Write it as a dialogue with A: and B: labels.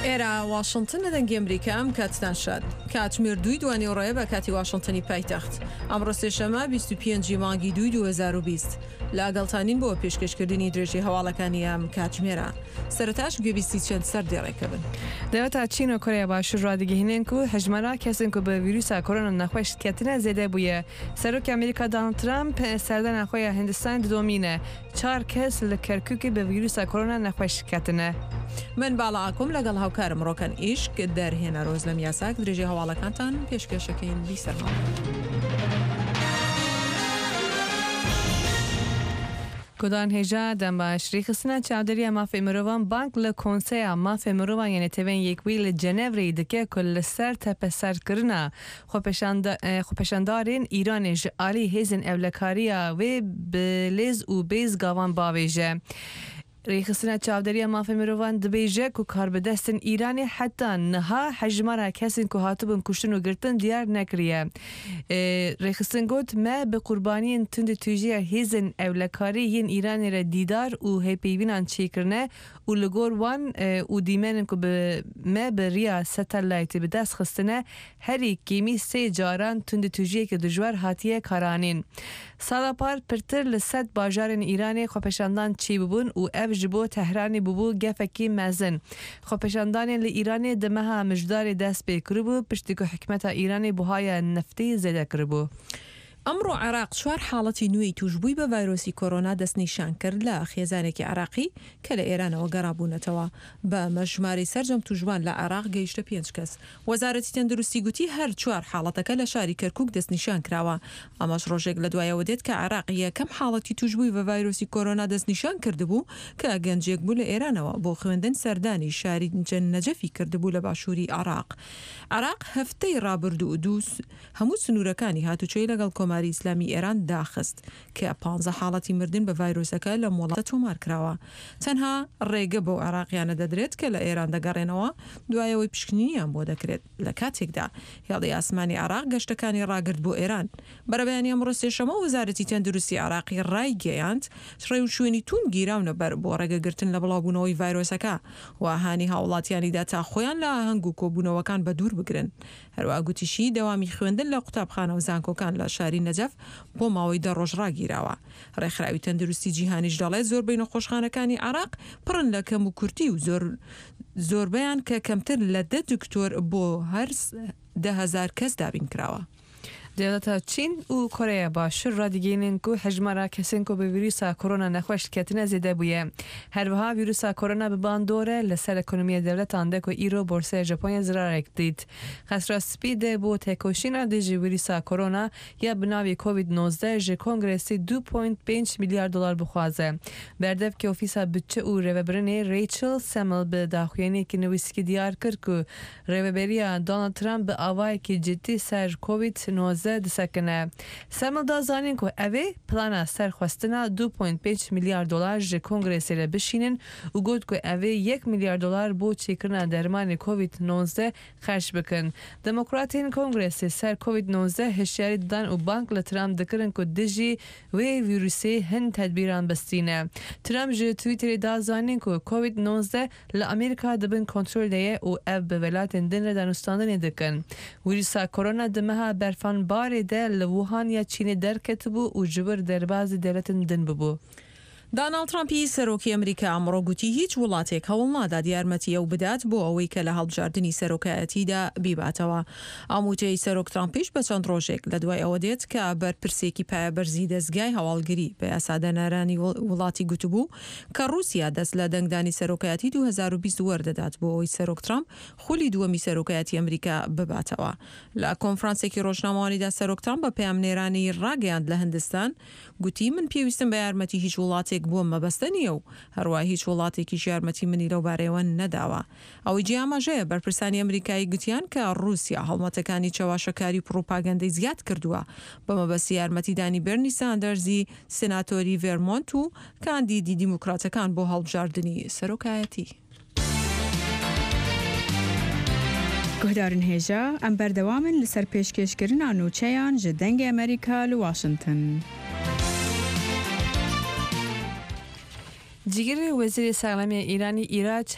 A: ئێرە واشنتن لە دەنگی ئەمریکا ئەم کاتتان شاد. کاتژمێر دووی دوانیوەڕۆیە بە کاتی واشنتنی پایتەخت. ئەمڕۆ سێشەممە 25 ی مانگی دووی 2020. لەگەڵتانین بۆ پێشکەشکردنی درێژەی هەواڵەکانی ئەم کاتژمێرە. سەرەتاش گوێبیستی چەند سەردێڕێکە بن.
B: Dewleta Çîn û Koreya Başûr radigihînin ku hejmara kesên ku bi vîrusa korona nexweş ketine zêde bûye. Serokê Amerîka Donald Trump serdana xwe ya Hindistanê didomîne. Çar kes li Kerkûkê bi vîrusa korona nexweş ketine.
A: من باڵا ئاکۆم لەگەڵ هاوکارم ڕۆکەن ئیشک دەرهێنەر ئۆزلەم یاساک درێژەی هەواڵەکانتان پێشکەشەکەین بیسەرماوە.
B: Gudan hêja dembaş, Rêxistina Çavdêriya Mafê Mirovan bang li Konseya Mafê Mirovan ya Neteweyên Yekbûyî li Cenevreyê dike ku li ser tepeserkirina xwepêşandarên Îranê ji alî hêzên ewlekariya wê bi lêz û bêz gavan bavêje. Rêxistina Çavdêriya Mafê Mirovan dibêje ku karbidestên Îranê heta niha hejmara kesên ku hatibûn kuştin û girtin diyar nekiriye. Rêxistin got, Me bi qurbaniyên tundî tûjiya hêzên ewlekarî yên Îranê re dîdar û hêpeyvînan çêkirine û li gor wan û dîmenên ku bi me bi riya satellaytê bi dest xistine herî kêmî sê caran tundî tûjiyeke dijwar hatiye karanîn. Sala par pirtir li sed bajarên Îranê xwepêşandan çêbûbûn û ev ji bo Tehranê bûbû gefekî mezin. Xwepêşandanên li Îranê di meha Mijdarê dest pê kiribû piştî ku hikûmeta Îranê buhaya neftê zêde kiribû.
A: ئەمڕۆ عێراق چوار حاڵەتی نوێی تووشبووی بە ڤایرۆسی کۆرۆنا دەستنیشانکرد لە خێزانێکی عێراقی کە لە ئێرانەوە گەڕابوونەتەوە، بەمەش ژمارەی سەرجەم تووشبووان لە عێراق گەیشتە پێنج کەس. وەزارەتی تەندروستی گوتی هەر چوار حاڵەتەکە لە شاری کەرکوک دەستنیشانکراوە، ئەمەش ڕۆژێک لە دوای ئەوە دێت کە عێراق یەکەم حاڵەتی تووشبووی بە ڤایرۆسی کۆرۆنا دەستنیشان کردبوو کە گەنجێک بوو لە ئێرانەوە بۆ خوێندن سەردانی شاری نەجەفی کردبوو لە باشووری عێراق. عێراق هەفتەی ڕابردوو دوو هەموو سنوورەکانی هاتوچۆی لەگەڵ کۆماری ئیسلامی ئێران داخست کە پانزە حاڵەتی مردن بە ڤایرۆسەکە لەم وڵاتە تۆمارکراوە. تەنها ڕێگە بەو عێراقیانە دەدرێت کە لە ئێران دەگەڕێنەوە دوای ئەوەی پشکنینیان بۆ دەکرێت، لە کاتێکدا هێڵی ئاسمانی عێراق گەشتەکانی ڕاگرت بۆ ئێران. بەرەبەیانی ئەمڕۆ سێشەممە وەزارەتی تەندروستی عێراقی ڕایگەیاند، ڕێوشوێنی توند گیراونە بەر بۆ ڕێگەگرتن لە بڵاوبوونەوەی ڤایرۆسەکە و هانی هاوڵاتیانی دا تا خۆیان لە ئاهەنگ و کۆبوونەوەکان بەدوور بگرن. هەروەها گوتیشی، دەوامی خوێندن لە قوتابخانە و زانکۆکان لە شاری نەجەف بۆ ماوەی دە ڕۆژ ڕاگیراوە. ڕێکخراوی تەندروستی جیهانیش دەڵێت زۆربەی نەخۆشخانەکانی عێراق پڕن لە کەموکورتی و زۆر زۆربەیان کە کەمتر لە دە دکتۆر بۆ هەر 10,000 کەس دابین کراوە.
B: Dewleta Çîn û Koreya Başûr radigihînin ku hejmara kesên ku bi vîrusa korona nexweş ketine zêde bûye. Her wiha vîrusa korona bi bandor e li ser ekonomiya dewletan de ku îro borseya Japonya zirarek dît. Qesra Spî de bo têkoşîna dijî vîrusa korona ya bi navê Covid 19 ji Kongresê du point pênc milyar dolar bixwaze. Berdevkê Ofîsa Budçe û Rêvebirinê Rachel Semel bi daxuyaniyekî nivîskî diyar kir ku Rêveberiya Donald Trump bi awayekî cidî ser Covid 19 disekine. Semel da zanîn ku ev ê plana ser xwestina du point pênc milyar dolar ji Kongresê re bişînin û got ku ev ê yek milyar dolar bo çêkirina dermanê Covid 19 xerc bikin. Demokratên Kongresê ser Covid 19 hişyarî didan û bang li Trump dikirin ku dijî wê vîrusê hin tedbîran bistîne. Trump ji Twitterê da zanîn ku Covid 19 li Amerîka di bin kontrol de ye û ev bi welatên din re danûstandinê dikin. Vîrusa korona di meha berfanbarê de li Wuhan ya Çînê derketibû û ji wir derbazî dewletên din bûbû.
A: داناڵد ترەمپی سەرۆکی ئەمریکا ئەمڕۆ گوتی هیچ وڵاتێک هەوڵ نادات یارمەتی ئەو بدات بۆ ئەوەی کە لە هەڵبژاردنی سەرۆکایەتیدا بیباتەوە. ئەم وتەی سەرۆک ترەمپیش بە چەند ڕۆژێک لە دوای ئەوە دێت کە بەرپرسێکی پایەبەرزی دەزگای هەواڵگری بە یاسادانەرانی وڵاتی گوتبوو کە ڕووسیا دەست لە دەنگدانی سەرۆکایەتی 2020 وەردەدات بۆ ئەوەی سەرۆک ترەمپ خولی دووەمی سەرۆکایەتی ئەمریکا بباتەوە. لە کۆنفرانسێکی ڕۆژنامەوانیدا سەرۆک ترەمپ بە پەیامنێرانی ڕاگەیاند لە هندستان گوتی من پێویستم بە یارمەتی هیچ وڵاتێک بۆم مەبەستە نییە و هەروا هیچ وڵاتێکیش یارمەتی منی لەو بارەیەوە نەداوە. ئەوەی جێی ئاماژەیە بەرپرسانی ئەمریکایی گوتیان کە ڕووسیا هەڵمەتەکانی چەواشەکاری و پڕوپاگەندەی زیاد کردووە بە مەبەستی یارمەتیدانی بێرنی ساندەرزی سێناتۆری ڤێرمۆنت و کاندیدی دیموکراتەکان بۆ هەڵبژاردنی سەرۆکایەتی.
C: Guhdarên hêja, em berdewam in li ser pêşkêşkirina nûçeyan ji Dengê Amerîka li Washington.
B: Cîgirê Wezîrê Saxlemiyê Îranî Îrac.